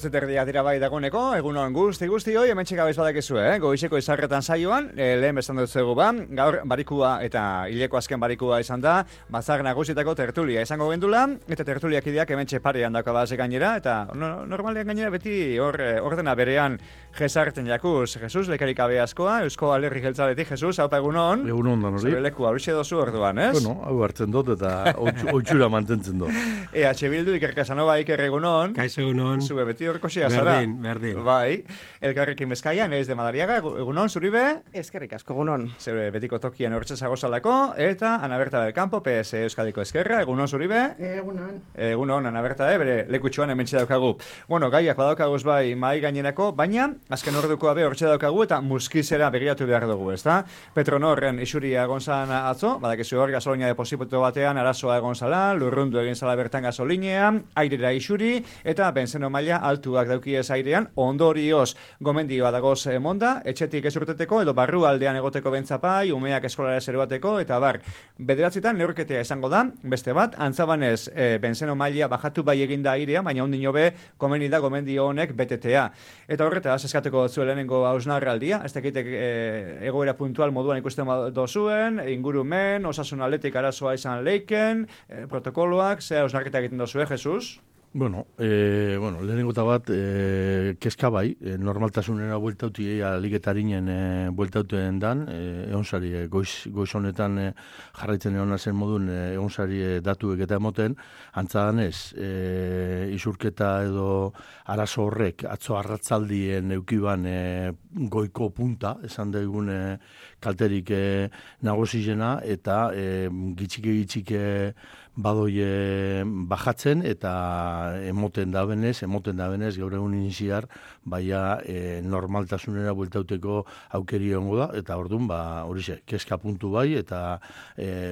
8:30 dira bai dagoeneko, egunon guzti hoi, hemen txeka bez badakezue, goizeko izarretan saioan, lehen bezan dut ba, gaur barikua eta hileko azken barikua izan da, batzar nagusietako tertulia izango gendula, eta tertuliak ideak hemen txeparean dako base gainera, eta normalean gainera beti ordena berean jesarten jakuz. Jesus, lekarik abe askoa, Eusko Alderri Jeltzaletik, Jesus, haupa egunon. Egunon dan hori. Zure leku hauxe dozu orduan, ez? Bueno, hau hartzen dut eta oitxura mantentzen dut. EH Bildu, Iker Casanova, Iker egunon. Kaixo egunon. Zue beti horko zara. Berdin. Bai, elkarrekin Bizkaian, ez de Madariaga, egunon, zuribe? Eskerrik asko, egunon. Zure betiko tokian hortze zagozalako, eta Ana Berta del Campo, PS Euskadiko Eskerra, egunon, zuribe? Egunon. Egunon, Ana Berta, bere lekutxoan hemen daukagu. Bueno, gaiak badaukaguz bai mai gainerako, baina azken orduko abe hortze daukagu eta muskizera begiratu behar dugu, ezta? Petronorren isuria egon zan atzo, badakizu hor gasolinia deposito batean arazoa egon zala, lurrundu egin zala bertan gasolinea, airera isuri, eta benzeno maila altuak daukiez airean, ondorioz gomendioa dagoz monda, etxetik ez urteteko, edo barru aldean egoteko bentzapai, umeak eskolara zeruateko, eta bar, bederatzitan neurketea izango da, beste bat, antzabanez benzeno maila bajatu bai eginda airea, baina ondin jobe komeni da gomendio honek betetea. Eta horretaz eskateko zuen lehenengo hausnarraldia, ez dakitek egoera puntual moduan ikusten dozuen, ingurumen, osasun atletik arazoa izan leiken, protokoloak, ze hausnarketa egiten dozue, Jesus? Bueno, lehenengo eta bat, kezka bai, normaltasunera bueltauti ligetarinen bueltauten dan, eonsari, goiz honetan jarraitzen egon zen modun, eonsari datuek eta emoten, antzadan ez, isurketa edo arazo horrek, atzo arratzaldien eukiban goiko punta, esan daigun kalterik nagozizena, eta gitxike badoie bajatzen eta emoten da benez gaur egun iniziar baina normaltasunera bueltauteko aukeri egongo da eta orduan horixe, kezka puntu bai eta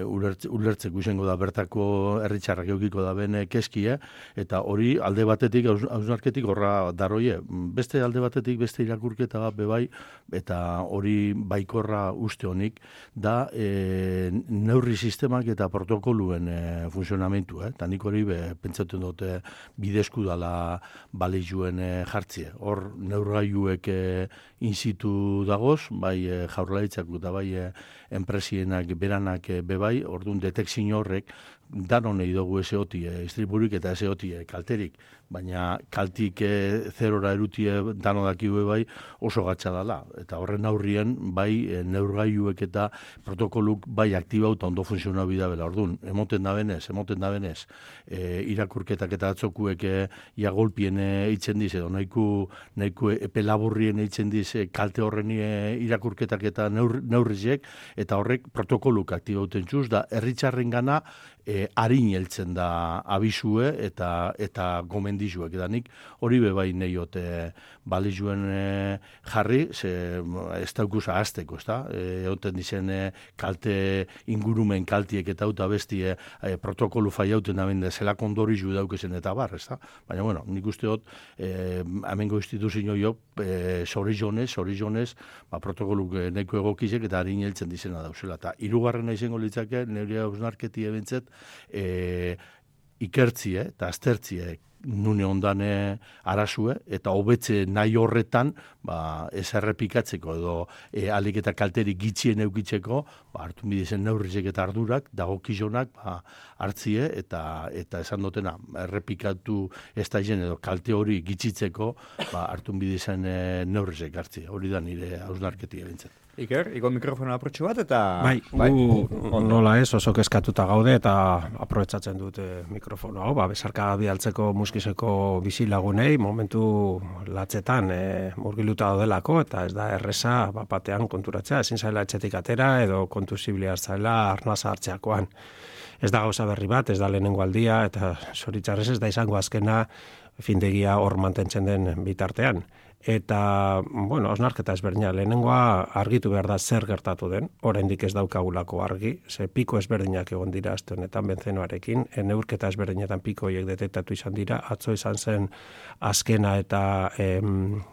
ulertzeko izango da bertako herritxarrak eukiko da bene kezkia eta hori alde batetik hausnarketik horra daroie, beste alde batetik beste irakurketa bat bebai eta hori baikorra uste honik da neurri sistemak eta protokoluen funtzionamentu, eta nik hori pentsatzen dute bidezku dala balizuen jartzie. Hor neurgailuek inzitu dagoz, bai jaurlaritzak eta bai enpresienak beranak bebai, orduan detekzio horrek danonei dugu eseoti istriburik eta eseoti kalterik, baina kaltik zerora erutie danodakiu bai oso gatsa dala. Eta horren aurrien bai neurgailuek eta protokoluk bai aktibauta ondo funtzionau bidabela. Orduan, emoten da benez, irakurketak eta atzokuek iagolpien eitzen diz, edo nahiko epe laburrien eitzen diz kalte horren irakurketak eta neurrizek, eta horrek protokoluk aktibauten txuz, da herritxarren gana harin heltzen da abizue eta gomendizuek. Eta nik hori bebai neiot balizuen jarri, ez daukuz ahazteko, ez da? Egoten dizen kalte ingurumen kaltiek eta auta bestie protokolu faiauten da bende zelako ondorizu daukezen eta bar, ez da? Baina, bueno, nik usteot, amengo instituzio jo, zorizonez, protokoluk nahiko egokizek eta harin heltzen dizena dauzela. Eta hirugarrena izango litzake, nire hausnarketi ebentzet, ikertzie eta aztertzie nune ondane arazue eta hobetze nahi horretan ez errepikatzeko edo alik eta kalterik gitxien eukitzeko hartu bidezen neurrizek eta ardurak dagokizonak hartzie eta esan dutena errepikatu ez da izen edo kalte hori gitxitzeko hartu bidezen neurrizek hartzie. Hori da nire hausnarketi ebentzat. Iker, iko mikrofona aprotxu bat eta... Bai, nola ez, oso kezkatuta gaude eta aprobetsatzen dut mikrofono hau, besarka bidaltzeko muskizeko bizilagunei, momentu latzetan murgiluta daudelako, eta ez da erreza batean konturatzea, ezin zaila etxetik atera edo kontuziblia zaila arnaza hartzeakoan. Ez da gauza berri bat, ez da lehenengo aldia, eta zoritzarrez ez da izango azkena findegia hor mantentzen den bitartean. Eta, bueno, osnarketa ezberdina, lehenengoa argitu behar da zer gertatu den, oraindik ez daukagulako argi, ze piko ezberdinak egon dira aste honetan benzenoarekin, neurketa ezberdinetan piko horiek detektatu izan dira, atzo izan zen azkena eta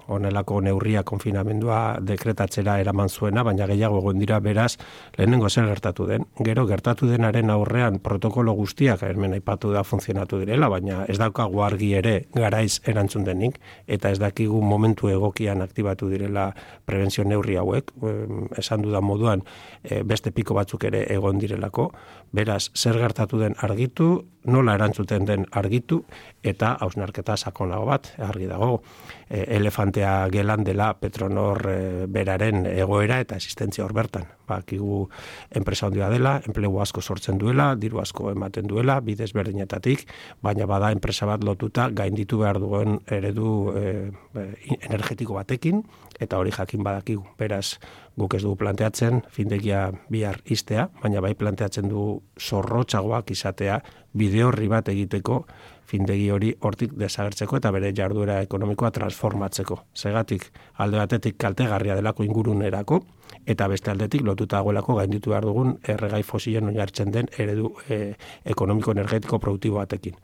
honelako neurria konfinamendua dekretatzera eraman zuena, baina gehiago egon dira beraz, lehenengo zer gertatu den. Gero gertatu denaren aurrean protokolo guztiak, hemen aipatu da funtzionatu direla, baina ez daukagu argi ere garaiz erantzun denik, eta ez dakigu momentu egokian aktibatu direla prebentzio neurri hauek, esan dudan moduan beste piko batzuk ere egon direlako, beraz, zer gertatu den argitu, nola erantzuten den argitu, eta hausnarketa sakonago bat, argi dago, elefantea gelan dela Petronor beraren egoera eta existentzia hor bertan. Bakigu enpresa handia dela, enplegu asko sortzen duela, diru asko ematen duela, bidez berdinetatik, baina bada enpresa bat lotuta gainditu behar duen eredu energetiko batekin, eta hori jakin badakigu. Beraz, guk ez dugu planteatzen findegia bihar iztea, baina bai planteatzen du zorrotzagoak izatea bide horri bat egiteko findegi hori hortik desagertzeko eta bere jarduera ekonomikoa transformatzeko. Segatik alde batetik kaltegarria delako ingurunerako eta beste aldetik lotuta dagoelako gainditu behar dugun erregai fosilen oinarritzen den eredu ekonomiko energetiko produktibo batekin.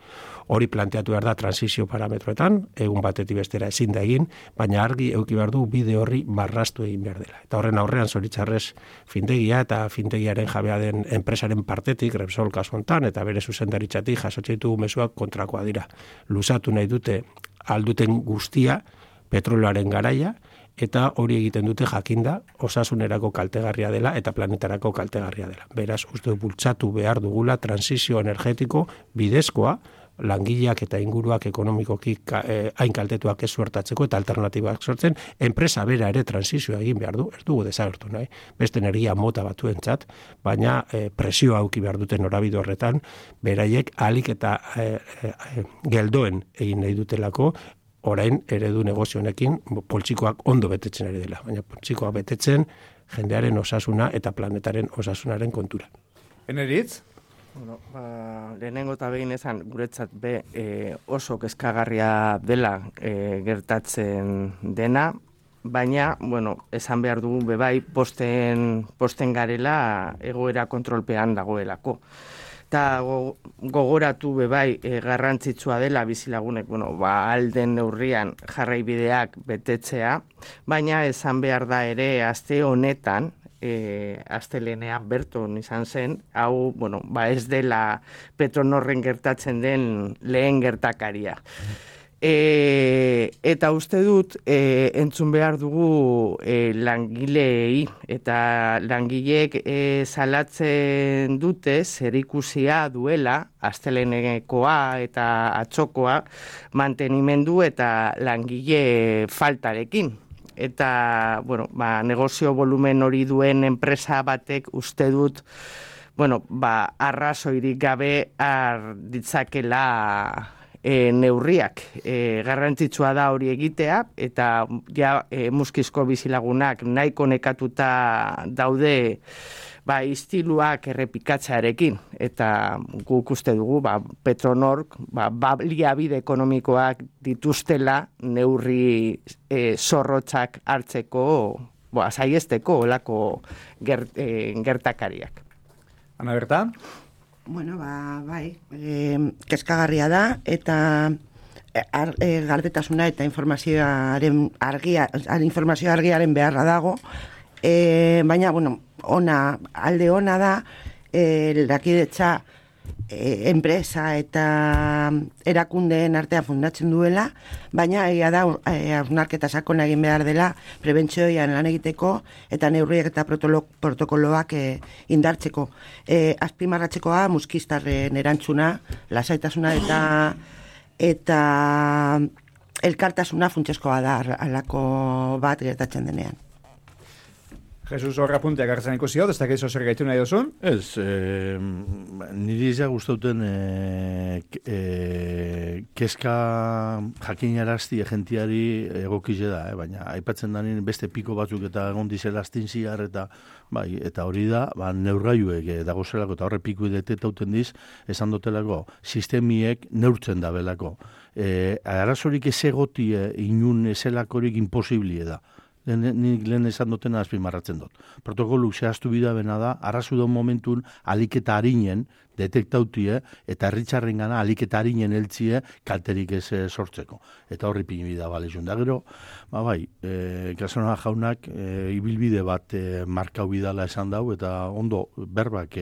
Hori planteatu behar da transizio parametroetan, egun batetik bestera ezin da egin, baina argi eduki behar du bide horri marrastu egin behar dela. Eta horren aurrean zoritzarrez findegia eta findegiaren jabea den enpresaren partetik, Repsol kasu hontan eta bere zuzendaritzatik jasotzen ditugu mezuak kontrakoa dira. Luzatu nahi dute alduten guztia petroloaren garaia, eta hori egiten dute jakinda osasunerako kaltegarria dela eta planetarako kaltegarria dela. Beraz, uste bultzatu behar dugula transizio energetiko bidezkoa, langileak eta inguruak ekonomikoki hain kaltetuak ez suertatzeko eta alternatibak sortzen, enpresa bera ere transizioa egin behar du, ez dugu desagertu nahi, beste energia mota batuentzat, baina presioa auki behar duten norabide horretan, beraiek ahalik eta geldoen egin nahi dutelako, orain eredu negozio honekin poltsikoak ondo betetzen ari dela, baina poltsikoak betetzen jendearen osasuna eta planetaren osasunaren kontura. Eneritz? Bueno, lehenengo eta behin esan guretzat oso kezkagarria dela gertatzen dena, baina, bueno, esan behar dugu bai posten garela egoera kontrolpean dagoelako. Eta gogoratu bai garrantzitsua dela bizilagunek, alden neurrian jarraibideak betetzea, baina esan behar da ere aste honetan, astelenean berton izan zen, hau, ez dela Petronorren gertatzen den lehen gertakaria. Eta uste dut, entzun behar dugu langileei, eta langileek salatzen dute zerikusia duela, astelenekoa eta atzokoa, mantenimendu eta langile faltarekin. Eta, negozio volumen hori duen enpresa batek uste dut, arrazoirik gabe ditzakela neurriak. Garrantzitsua da hori egitea, eta muskizko bizilagunak nahiko nekatuta daude istiluak errepikatzearekin, eta guk uste dugu Petronork baliabide ekonomikoak dituztela neurri zorrotzak hartzeko, saiesteko olako gertakariak. Ana Berta? Bueno, bai, kezkagarria da, eta gardetasuna eta informazio argiaren beharra dago, baina, alde ona da, lakidetza enpresa eta erakundeen artean fundatzen duela, baina egia da hausnarketa sakona egin behar dela prebentzioan lan egiteko eta neurriak eta protokoloak indartzeko. Azpimarratzekoa muskiztarren erantzuna, lasaitasuna eta elkartasuna funtsezkoa da halako bat gertatzen denean. Jesus horra punteak hartzen ikusi hau, ez dakizu zer gaitu nahi duzun? Ez, niri izan guztauten kezka jakinarazti egentiari egokize da, baina aipatzen da beste piko batzuk eta egon dizela astinziar eta hori da, neurgailuek dagozelako eta horre piku detetauten diz, esan dotelako, sistemiek neurtzen da belako. arazorik ez egotie inun ezelakorik imposiblie da. Nik lehen esan dutena azpimarratzen dut. Protokolu zehaztu bida bena da, arazu da momentun aliketa harinen detektautie eta herritxarren gana aliketa harinen eltzie kalterik ez sortzeko. Eta horri pini bida balezun. Da gero, Casanova jaunak ibilbide bat markau bidala esan dau eta ondo berbak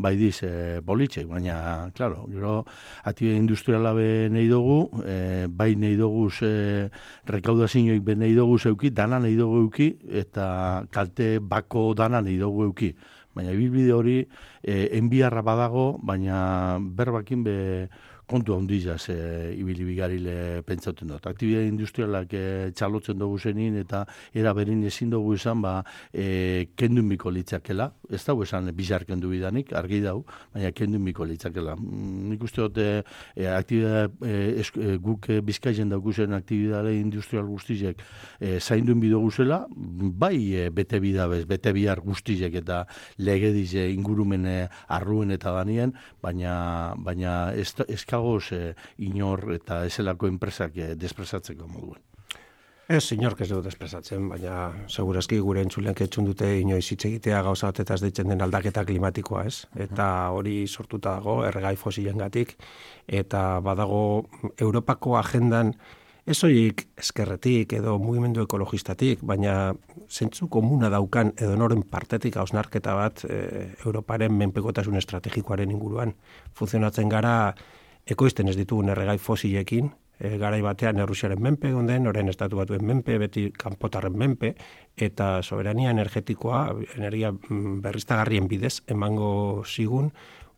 bai diz politxek, baina, klaro, gero, atibe industriala be nahi dugu, bai nahi dugu rekaudazioik be nahi dugu zeuki, dana nahi dugu euki, eta kalte bako dana nahi dugu euki. Baina, ibilbide hori, enbiarra badago, baina berbakin be kontu handizaz ibili bigarile pentsauten dut. Aktibidade industrialak txalotzen dugu zenin eta era berin ezin dugu izan kendun biko litzakela. Ez dago esan bizar kendu bidanik, argi dau, baina kendun biko litzakela. Nik uste dut guk bizkaien daukuzen aktibidade industrial guztizek zainduen bido guzela, bai bete bidabez, bete bihar guztizek eta legediz ingurumen arruen eta danien, baina ez inor eta ezelako enpresak despresatzeko moduen. Ez, inork ez dut despresatzen, baina segurazki gure entzuleak etxun dute inoiz hitz egitea gauza batetaz deitzen den aldaketa klimatikoa, ez? Eta hori sortuta dago erregai fosilengatik eta badago Europako agendan ez horiek eskerretik edo mugimendu ekologistatik, baina zentzu komuna daukan edo noren partetik hausnarketa bat Europaren menpekotasun estrategikoaren inguruan. Funtzionatzen gara ekoizten ez ditugun erregai fosilekin, garai batean Errusiaren menpe gonden, orain estatu batuen menpe, beti kanpotarren menpe, eta soberania energetikoa, energia berriztagarrien bidez, emango zigun,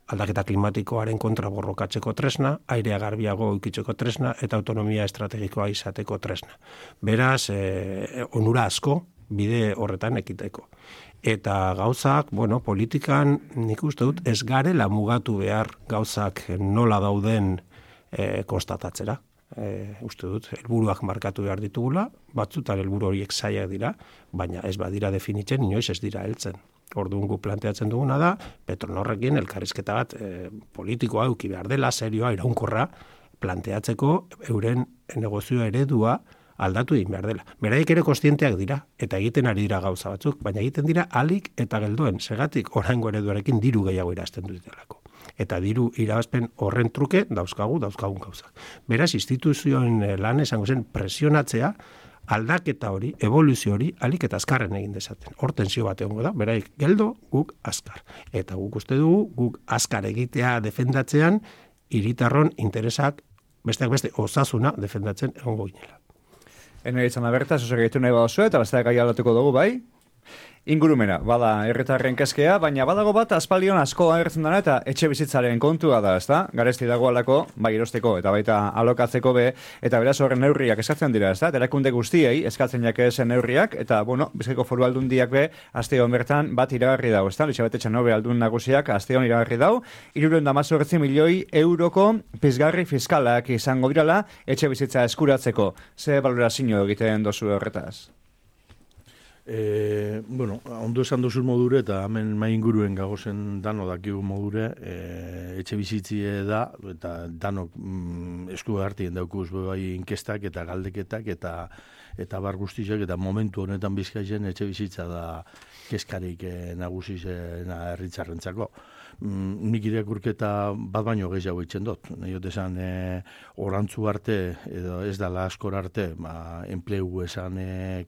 aldaketa klimatikoaren kontra borrokatzeko tresna, airea garbiago ukitzeko tresna, eta autonomia estrategikoa izateko tresna. Beraz, onura asko bide horretan ekiteko. Eta gauzak, politikan nik uste dut ez garela mugatu behar gauzak nola dauden konstatatzera. Uste dut, helburuak markatu behar ditugula, batzutan helburu horiek zailak dira, baina ez badira definitzen, inoiz ez dira heltzen. Orduan gu planteatzen duguna da, Petronorrekin elkarrizketa bat politikoa eduki behar dela, serioa, iraunkorra, planteatzeko euren negozioa eredua aldatu egin behar dela. Beraik ere kontzienteak dira, eta egiten ari dira gauza batzuk, baina egiten dira alik eta geldoen, segatik oraingo ereduarekin diru gehiago irazten dutelako. Eta diru irabazpen horren truke dauzkagun gauzak. Beraz, instituzioen lan esango zen presionatzea, aldaketa hori, evoluzio hori, alik eta azkarren egin dezaten. Hor tensio bat egongo da, beraik geldo, guk azkar. Eta guk uste dugu, guk azkar egitea defendatzean, hiritarron interesak, besteak beste, osasuna defendatzen egongo ginela. Ene ditzen aberta, zuzak egitu nahi badozue, eta besteak gai aldatuko dugu, bai? Ingurumena, bada herritarren kezkea, baina badago bat aspaldion asko agertzen dena eta etxe bizitzaren kontua da, ezta? Garesti dago alako, bai erosteko eta baita alokatzeko be, eta beraz horren neurriak eskatzen dira, ezta? Erakunde guztiei eskatzen jakezen neurriak, eta, Bizkaiko Foru Aldundiak be, asteon bertan bat iragarri dago, ezta? Elizabete Txanobe aldun nagusiak asteon iragarri dago, 318 milioi euroko pizgarri fiskalak izango dirala etxe bizitza eskuratzeko. Ze balorazio egiten dozu horretaz? Ondo esan dozur modure eta hemen mai inguruen gagozen dano dakigu modure etxe bizitzie da eta danok esku hartien daukuz bai inkestak eta galdeketak eta bar guztiak eta momentu honetan Bizkaian etxe bizitza da keskarik nagusizena herritarrentzako. Nik irakurketa bat baino gehiago itzen dut. Nahi esan orantzu arte edo ez dala askor arte enplegu esan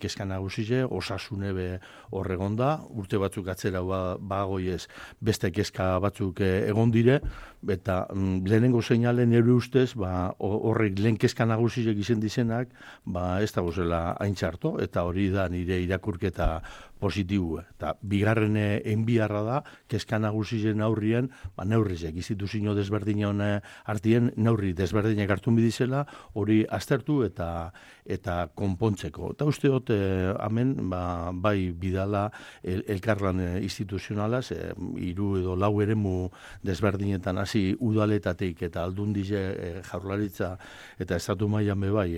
keska nagusize, osasune be horregonda, urte batzuk atzera bagoiez beste keska batzuk egon dire, eta lehenengo seinalen ere ustez, horrek lehen keska nagusizek izen dizenak, ez da gozela hain txarto, eta hori da nire irakurketa positibu. Eta bigarren enbiarra da, keska nagusizen aurrien, neurrizek, instituzio desberdinon artien, neurri desberdinek hartun bidizela, hori aztertu eta konpontzeko. Eta uste dut, hemen, bai bidala elkarlan instituzionalaz, 3 edo 4 eremu desberdinetan hasi udaletatik eta aldundize jaurlaritza eta estatu mailan bai,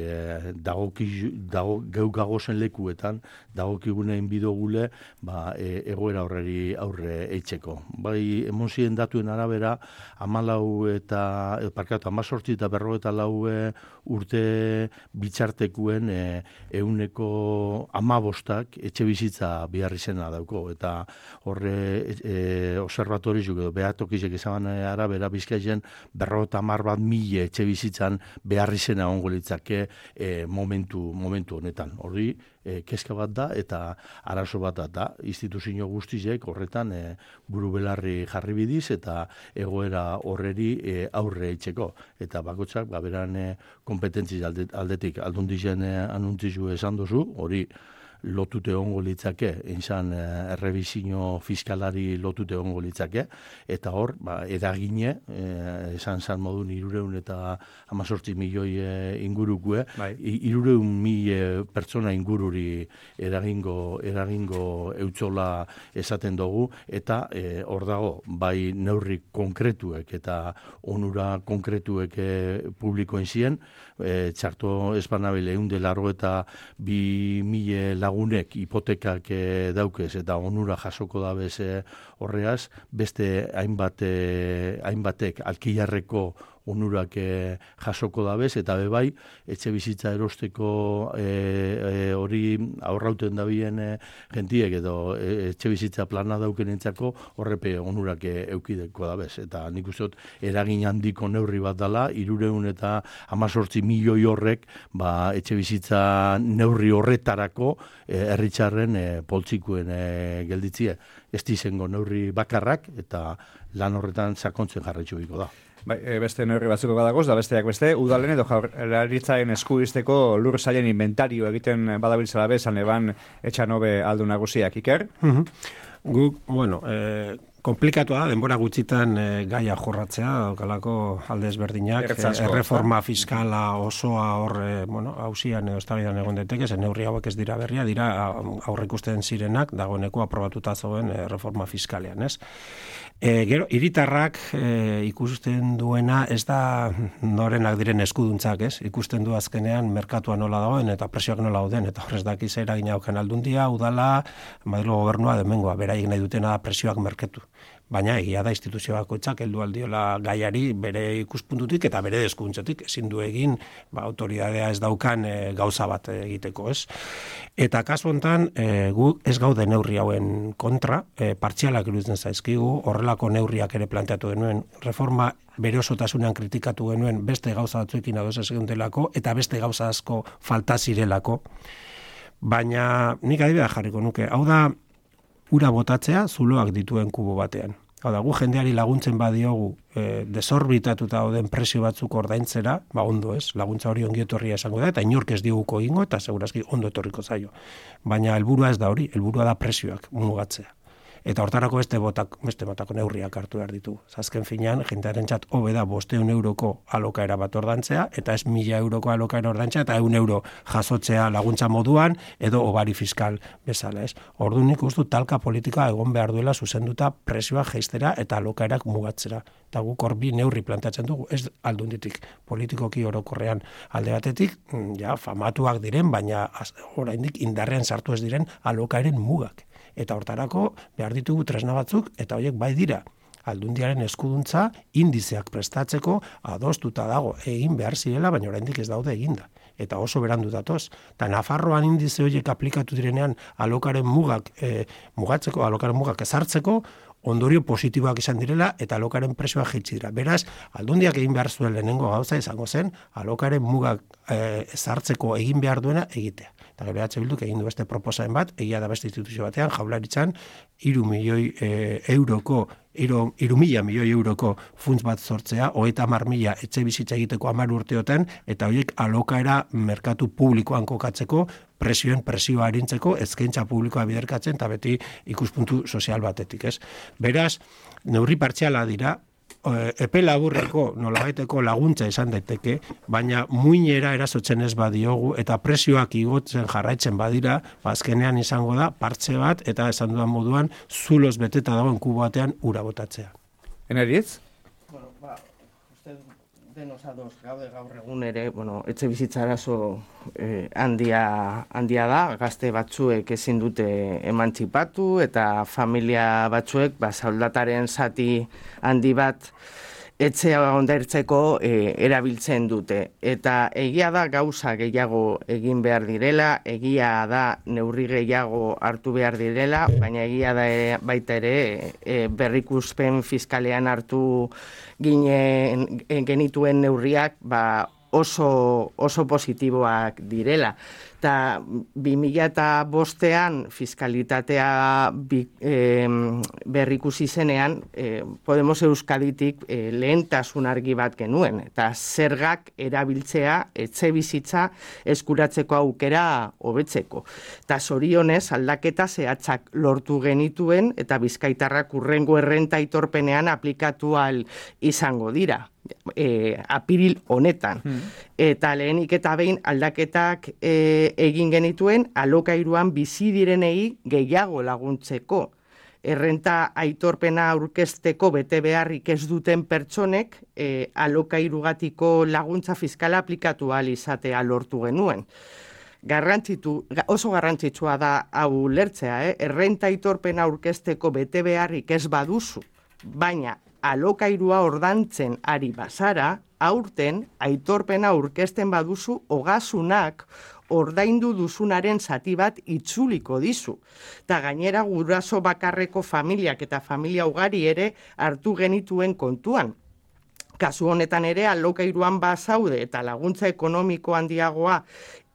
geukagozen lekuetan, dagokigunein bidogula dugule egoera horreri aurre eitzeko. Bai, emozien datuen arabera, 18 eta 54 urte bitxartekuen 15% etxe bizitza behar izena dauko. Eta horre observatoriz, behatokizek ezaban arabera Bizkaian 50.000 etxe bizitzan behar izena ongo litzake momentu honetan. Horri, kezka bat da eta arazo bat da. Instituzio guztizek horretan buru belarri jarri bidiz eta egoera horreri aurre eitzeko. Eta bakotxak, beran kompetentzi aldetik aldundizen anuntzizu esan duzu, hori lotute ongo litzake, izan errebizio fiskalari lotute ongo litzake, eta hor, edagine, esan modun 318 milioi ingurukue, 300.000 pertsona ingururi eragingo eutxola esaten dugu, eta hor dago, bai neurri konkretuek eta onura konkretuek publikoen ziren, txarto espanabile 182.000 lagunek hipotekak daukez eta onura jasoko dabez horreaz, beste hainbatek alkilarreko onurak jasoko dabez, eta bebai, etxe bizitza erosteko hori aurrauten dabien gentiek edo etxe bizitza plana dauken entzako horrepe onurak eukideko dabez. Eta nik uste dut eragin handiko neurri bat dala, 318 milioi horrek etxe bizitza neurri horretarako herritxarren poltsikuen gelditzie. Ez dizengo neurri bakarrak eta lan horretan sakontzen jarraitzu biko da. Beste neurri batzuko badagoz, da besteak beste, udalen edo jaurlaritzaren eskuizteko lur sailen inventario egiten badabiltzela bezan eban etxanobe aldu nagusiak, Iker? Guk, komplikatua da, denbora gutxitan gaia jorratzea, daukalako alde ezberdinak, erreforma fiskala osoa hor, hausian edo eztabaidan egon daiteke, zen neurri hauek ez dira berria, dira aurreikusten zirenak, dagoeneko aprobatuta zegoen erreforma fiskalean, ez? Gero, hiritarrak ikusten duena ez da norenak diren eskuduntzak, ez? Ikusten du azkenean merkatua nola dagoen eta presioak nola dauden, eta horrez dakiz eragina auken aldundia, udala, Madrilgo gobernua demengoa, beraiek nahi dutena presioak merketu. Baina egia da instituzio bakoitzak heldu aldiola gaiari bere ikuspuntutik eta bere eskuduntzatik ezin du egin autoridadea ez daukan gauza bat egiteko, ez? Eta kasu hontan gu ez gaude neurri hauen kontra, partzialak iruditzen zaizkigu, horrelako neurriak ere planteatu genuen, reforma bere osotasunean kritikatu genuen beste gauza batzuekin ados ez geundelako eta beste gauza asko falta zirelako. Baina nik adibidea jarriko nuke, hau da ura botatzea zuloak dituen kubo batean. Hau da, gu jendeari laguntzen badiogu desorbitatuta dauden presio batzuk ordaintzera, ondo ez, laguntza hori ongi etorria esango da, eta inork ez diguko egingo, eta segurazki ondo etorriko zaio. Baina helburua ez da hori, helburua da presioak mugatzea. Eta hortarako beste batako neurriak hartu behar ditu. Azken finean, jendearentzat hobe da 500 euroko alokaera bat ordantzea, eta ez 1000 euroko alokaera ordantzea, eta 100 euro jasotzea laguntza moduan, edo obari fiskal bezala, ez? Orduan nik uste talka politika egon behar duela zuzenduta presioa jeistera eta alokaerak mugatzera. Eta guk hor bi neurri plantatzen dugu, ez aldunditik politikoki orokorrean alde batetik, famatuak diren, baina oraindik indarrean sartu ez diren alokaeren mugak. Eta hortarako behar ditugu tresna batzuk, eta horiek bai dira. Aldundiaren eskuduntza indizeak prestatzeko adostuta dago egin behar zirela, baina oraindik ez daude eginda. Eta oso berandu datoz. Eta Nafarroan indize horiek aplikatu direnean alokaren mugak ezartzeko, ondorio positiboak izan direla eta alokaren presioa jaitsi dira. Beraz, aldundiak egin behar zuen lehenengo gauza izango zen, alokaren mugak ezartzeko egin behar duena egitea. Eta gero Bilduk egin du beste proposamen bat, egia da beste instituzio batean, Jaurlaritzan 3.000 milioi euroko funts bat sortzea, 30.000 etxe bizitza egiteko 10 urteotan, eta horiek alokaera merkatu publikoan kokatzeko, presioa arintzeko, eskaintza publikoa biderkatzen, eta beti ikuspuntu sozial batetik, ez? Beraz, neurri partziala dira, epe laburreko nolabaiteko laguntza izan daiteke, baina muinera erasotzen ez badiogu eta presioak igotzen jarraitzen badira, azkenean izango da partxe bat eta esan dudan moduan zuloz beteta dagoen kubo batean ura botatzea. Eneritz? Osados gaude gaur egun ere, etxe bizitza arazo handia da, gazte batzuek ezin dute emantzipatu eta familia batzuek soldataren zati handi bat etxea ondartzeko erabiltzen dute. Eta egia da gauza gehiago egin behar direla, egia da neurri gehiago hartu behar direla, baina egia da baita ere berrikuspen fiskalean hartu genituen neurriak oso positiboak direla. Eta 2005an fiskalitatea berrikusi zenean, Podemos Euskaditik lehentasun argi bat genuen. Eta zergak erabiltzea etxe bizitza eskuratzeko aukera hobetzeko. Eta zorionez aldaketa zehatzak lortu genituen eta bizkaitarrak hurrengo errenta aitorpenean aplikatu ahal izango dira. Apiril honetan. Eta lehenik eta behin aldaketak egin genituen alokairuan bizi direnei gehiago laguntzeko. Errenta aitorpena aurkezteko bete beharrik ez duten pertsonek alokairugatiko laguntza fiskala aplikatu ahal izatea lortu genuen. Oso garrantzitsua da hau lertzea, errenta aitorpena aurkezteko bete beharrik ez baduzu, baina alokairua ordantzen ari bazara, aurten aitorpena aurkezten baduzu ogasunak ordaindu duzunaren zati bat itzuliko dizu. Eta gainera guraso bakarreko familiak eta familia ugari ere hartu genituen kontuan. Kasu honetan ere alokairuan bazaude eta laguntza ekonomiko handiagoa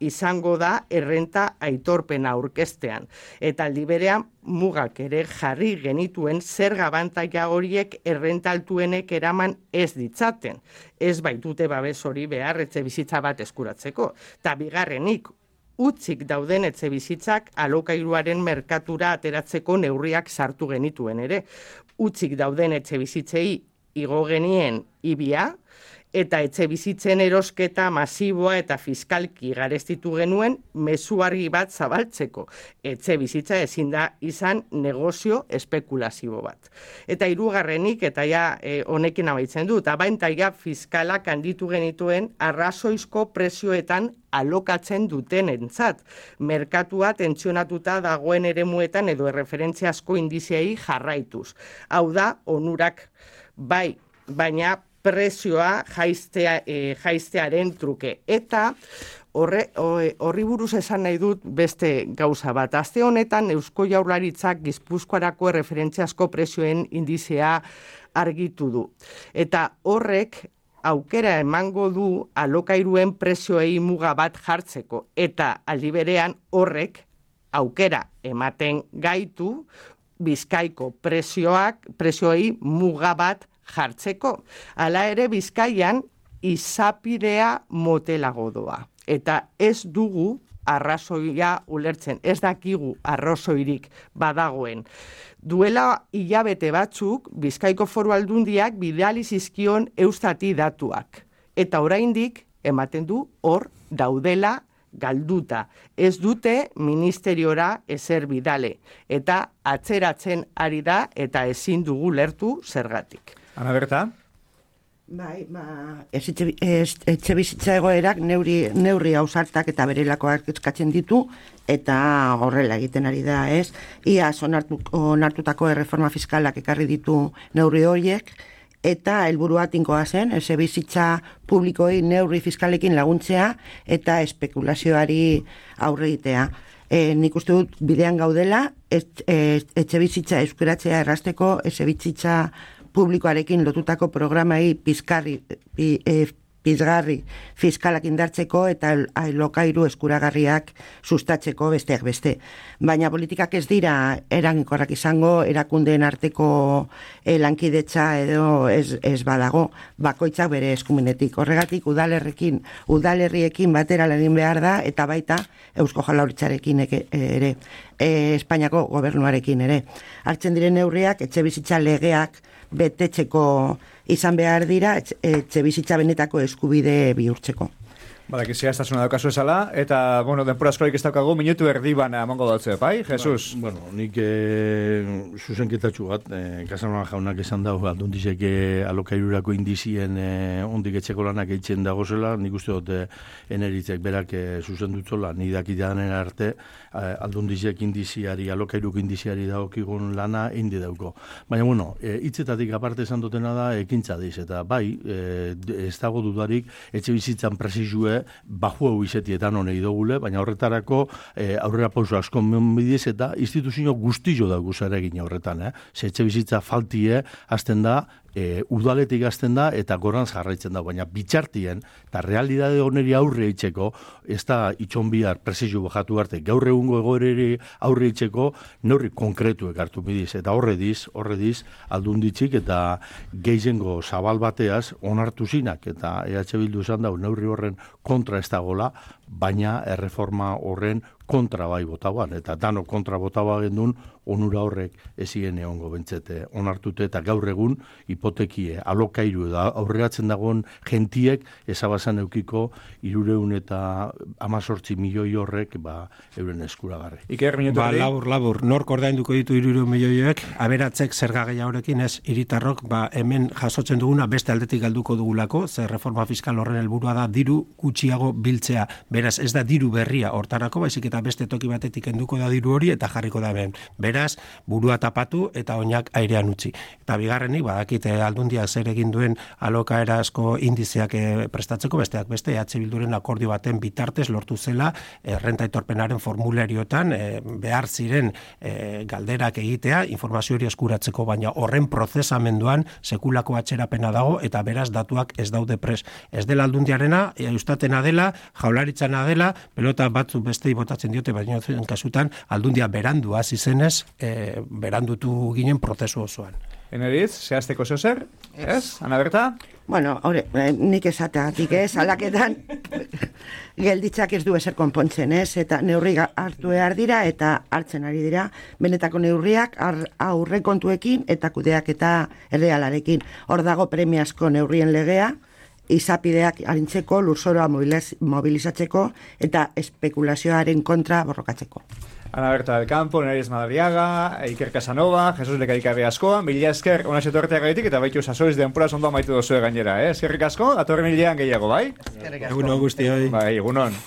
izango da errenta aitorpena aurkeztean. Eta aldi berean mugak ere jarri genituen zerga abantaila horiek errenta altuenek eraman ez ditzaten. Ez baitute babes hori behar etxe bizitza bat eskuratzeko. Eta bigarrenik, utzik dauden etxe bizitzak alokairuaren merkatura ateratzeko neurriak sartu genituen ere. Utzik dauden etxe bizitzei igo genien ibia, eta etxe bizitzen erosketa masiboa eta fiskalki garestitu genuen mezu argi bat zabaltzeko. Etxe bizitza ezin da izan negozio espekulazio bat. Eta hirugarrenik, eta honekin amaitzen du, eta abantaila fiskalak handitu genituen arrazoizko prezioetan alokatzen dutenentzat. Merkatua tentsionatuta dagoen eremuetan edo erreferentziazko indiziei jarraituz. Hau da, onurak bai, baina prezioa jaiztearen truke. Eta horri buruz esan nahi dut beste gauza bat. Aste honetan Eusko Jaurlaritzak Gipuzkoarako erreferentziazko prezioen indizea argitu du. Eta horrek aukera emango du alokairuen prezioei muga bat jartzeko. Eta aldi berean horrek aukera ematen gaitu Bizkaiko prezioei muga bat jartzeko. Hala ere Bizkaian izapidea motelago doa. Eta ez dugu arrazoia ulertzen, ez dakigu arrazoirik badagoen. Duela hilabete batzuk Bizkaiko Foru Aldundiak bidali zizkion Eustati datuak. Eta oraindik ematen du hor daudela galduta. Ez dute ministeriora ezer bidale. Eta atzeratzen ari da eta ezin dugu lertu zergatik. Ana Berta? Bai, etxe bizitza egoerak neurri ausartak eta berelakoak eskatzen ditu, eta horrela egiten ari da, ez? Iaz onartutako erreforma fiskalak ekarri ditu neurri horiek, eta helburua tinkoa zen, etxe bizitza publikoei neurri fiskalekin laguntzea eta espekulazioari aurre egitea. Nik uste dut bidean gaudela, etxe bizitza euskaratzea errazteko, etxe bizitza publikoarekin lotutako programai pizgarri fiskalak indartzeko eta alokairu eskuragarriak sustatzeko besteak beste. Baina politikak ez dira eraginkorrak izango, erakundeen arteko lankidetza edo ez badago, bakoitzak bere eskumenetik. Horregatik udalerriekin batera egin behar da, eta baita Eusko Jaurlaritzarekin ere, Espainiako gobernuarekin ere. Hartzen diren neurriak, etxe bizitza legeak betetzeko izan behar dira, etxe bizitza benetako eskubide bihurtzeko. Badakizia ez tasuna daukazu esala, eta, bueno, denpora askorik ez daukagu, minutu erdi bana emango dautze, bai, Jesus? Bueno, nik zuzenketatxu bat, Casanova jaunak esan dago, aldundizek alokairurako indizien ondik etxeko lanak eitzen dagozela, nik uste dut eneritzek berak zuzendutzola, nik dakitanen arte, aldundizek indiziari, alokairuk indiziari dagokigun lana indi dauko. Baina, bueno, hitzetatik aparte esan dutena da, ekintza diz, eta bai, ez dago dudarik, etxe bizitzan presizue baju hau izetietan honei dugule, baina horretarako aurrera pauso asko menbidiz eta instituzio guztio dago zaregin horretan. Ze etxe bizitza faltie hasten da, udaletik hasten da eta goran jarraitzen da, baina bitxartien eta realidade honeri aurre itxeko, ez da itxon bihar presizio bajatu arte, gaur egungo egoereri aurre itxeko neurri konkretuek hartu bidiz, eta horre diz aldunditzik eta gehizengo zabal bateaz onartu zinak, eta EH Bildu esan dau neurri horren kontra ez dagola, baina erreforma horren kontra bai botaban, eta dano kontra botaba gendun, onura horrek ezien egongo bentzete onartute, eta gaur egun hipotekie alokairu da aurreratzen dagoen gentiek ezabazan eukiko 318 milioi horrek euren eskuragarri. Iker, minutu labur, nork ordainduko ditu 300 milioiek, aberatzek zerga gehiagorekin ez hiritarrok, hemen jasotzen duguna beste aldetik galduko dugulako, ze reforma fiskal horren helburua da diru gutxiago biltzea. Beraz, ez da diru berria hortarako, baizik eta beste toki batetik enduko da diru hori eta jarriko da hemen. Beraz, burua tapatu eta oinak airean utzi. Eta bigarrenik, badakite aldundia zer egin duen alokaera asko indizeak prestatzeko, besteak beste, EH Bilduren akordio baten bitartez lortu zela errenta aitorpenaren formulariotan behar ziren galderak egitea, informazio hori eskuratzeko, baina horren prozesamenduan sekulako atxerapena dago eta beraz datuak ez daude pres. Ez dela aldundiarena, eustatena dela, jaularitzana dela, pelota batzuk bestei botatzen diote, baina kasutan aldundia berandu hasi zenez, berandutu ginen prozesu osoan. Eneriz, zehazteko zer? Ez? Ana Berta? Bueno, nik esateatik alaketan gelditzak ez du ezer konpontzen, eta neurri hartu behar dira eta hartzen ari dira benetako neurriak aurrekontuekin eta kudeak eta errealarekin. Hor dago premiazko neurrien legea, izapideak arintzeko, lurzoroa mobilizatzeko eta espekulazioaren kontra borrokatzeko. Ana Berta del Campo, Eneriz Madariaga, Iker Casanova, Jesus Lekaikarri askoa, mila esker ona etortea gaitik eta baitu sasoiz denpora ondo amaitu dozue gainera, Eskerrik asko, datorren hilean gehiago, bai? Egunon guztioi. Bai, egunon.